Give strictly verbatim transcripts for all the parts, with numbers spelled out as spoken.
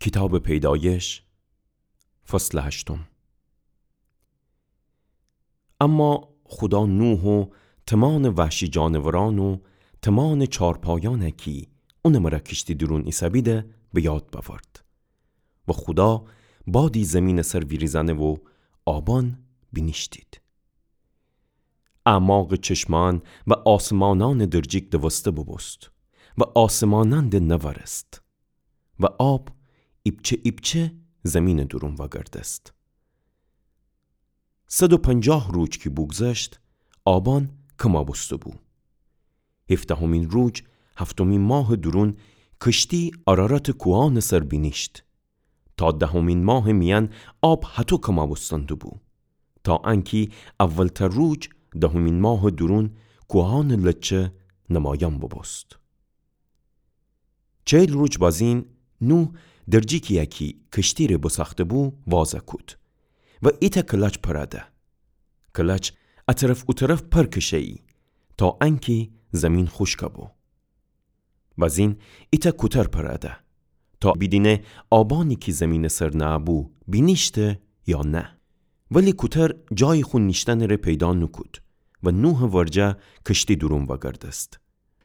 کیتابٚ پیدایش، فصلٚ هشتم. اما خودا نوح و تومانٚ وحشی جانورأن و تومانٚ چارپایأن کی اونٚ مرأ کشتی دورون ایسه‌بیده به یاد بأورد. و خودا بادی زیمینٚ سر ویریزأنه و آبأن بینیشتید. اعماقٚ چشمأن و آسمانأنٚ درجیک دوسته بوبوست و آسمانأن ده نوأرست و آب ایپچه ایپچه زیمینٚ دورون وأگردست. صد و پنجاه روج کی بوگذشت، آبأن کمأ بوسته‌بو. هیفدهمین روج، هفتمین ماهٚ دورون، کشتی آراراتٚ کوهأنٚ سر بینیشت. تا دهمین ماهٚ میأن آب هطو کمأ بوستن دوبو، تا انکی اولتر روج دهمین ماهٚ دورون کوهأنٚ لچه نمایأن بوبوست. چهل روج بازین نوح درجیکیی کی کشتی‌ره بوساخته‌بو وازَ کود و ایتأ کلاچ پرَ ده. کلاچ ا طرف او طرف پر کشه‌یی تا انکی زیمین خوشکَ بو. بازین ایتأ کوتر پرَ ده تا بیدینه آبأنی کی زیمینٚ سر نأبو بینیشته یا نه. ولی کوتر جایی خو نیشتنٚ ره پیدا نوکود و نوحٚ ورجه کشتی دورون وأگردست،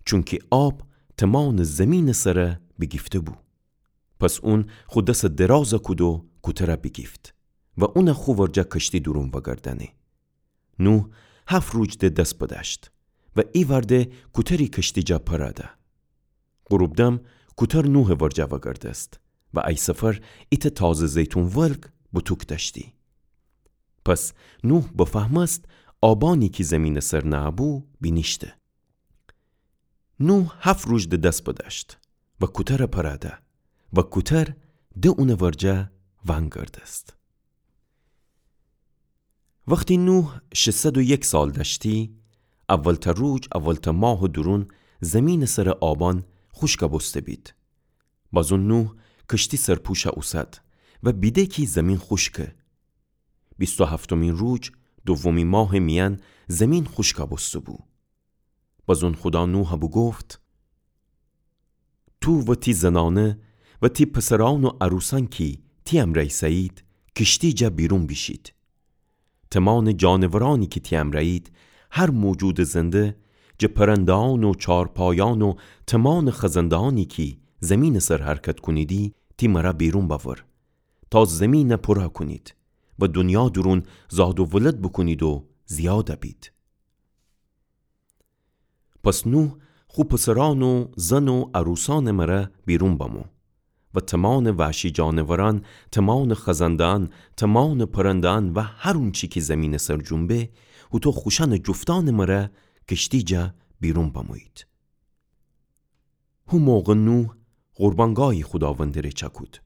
چونکی آب تومانٚ زیمینٚ سر بیگیفته‌بو. پس اون خو دس درازَ کود و کوترَ بیگیفت و اونَ خو ورجه کشتی دورون وأگردأنه. نوح هفت روج ده دس بدأشت و ایوأرده کوتری کشتی جا پرَ ده. غروب‌دم کوتر نوحٚ ورجه وأگردست و ای سفر ایتأ تازه زیتون ولگ بوتوک دأشتی. پس نوح بفهمست آبأنی کی زیمینٚ سر نأبو بینیشته. نوح هفت روج ده دس بدأشت و کوترَ پرَ ده و کوتر ده اونٚ ورجه وأنگردست. وختی نوح ششصد و یک سال دأشتی، اولتأ روج، اولتأ ماهٚ دورون زیمینٚ سرٚ آبأن خوشکَ بوسته‌بید. بازون نوح کشتی سرپوشَ اوسد و بیده کی زیمین خوشکه. بیست و هفتمین روج، دومی ماهٚ میأن زیمین خوشکَ بوسته‌بو. بازون خودا نوحَ بوگفت: تو و تی زنأنه و تی پسرأن و عروسأن کی تی امرأ ایسه‌یید، کشتی جا بیرون بیشید. تومانٚ جانورأنی کی تی امرأیید، هر موجودٚ زنده، جٚه پرنده‌أن و چارپایأن و تومانٚ خزنده‌أنی کی زیمینٚ سر حرکت کونیدی، تی مرأ بیرون بأور، تا زیمینَ پورَ کونید و دونیا دورون زاد و ولد بوکونید و زیادَ بید. پس نوح خو پسرأن و زن و عروسأنٚ مرأ بیرون بمو و تومانٚ وحشی جانورأن، تومانٚ خزنده‌أن، تومانٚ پرنده‌أن و هر اونچی کی زیمینٚ سر جنبه، هوطو خوشأنٚ جفتأنٚ مرأ کشتی جا بیرون بمویید. هو موقع نوح قربانگاهی خوداوندٚ ره چأکود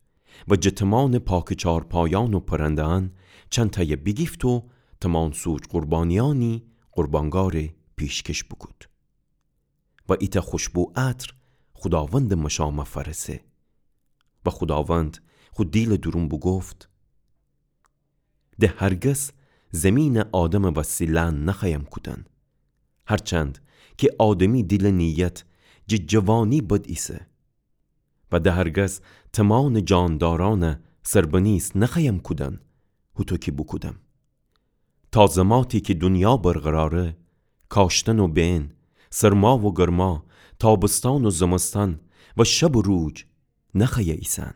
و جٚه تومانٚ پاکٚ چارپایأن و پرنده‌أن چندتأیَ بیگیفت و تومان سوج قربانیأنی قربانگاه ره پیشکش بوکود. و ایتأ خوشبو عطر خوداوندٚ مشامَ فأرسه. و خوداوند خو دیلٚ دورون بوگفت: ده هرگز زیمینَ آدمٚ وسی لأن نخوأیم کودن، هرچند کی آدمی دیلٚ نیت جٚه جوانی بد ایسه. و ده هرگز تومانٚ جاندارأنَ سربنیس نخوأیم کودن، هوطو کی بوکودم. تا زماتی کی دونیا برقراره، کاشتن و بئن، سرما و گرما، تابستأن و زمستأن و شب و روج نخوأیه ایسن.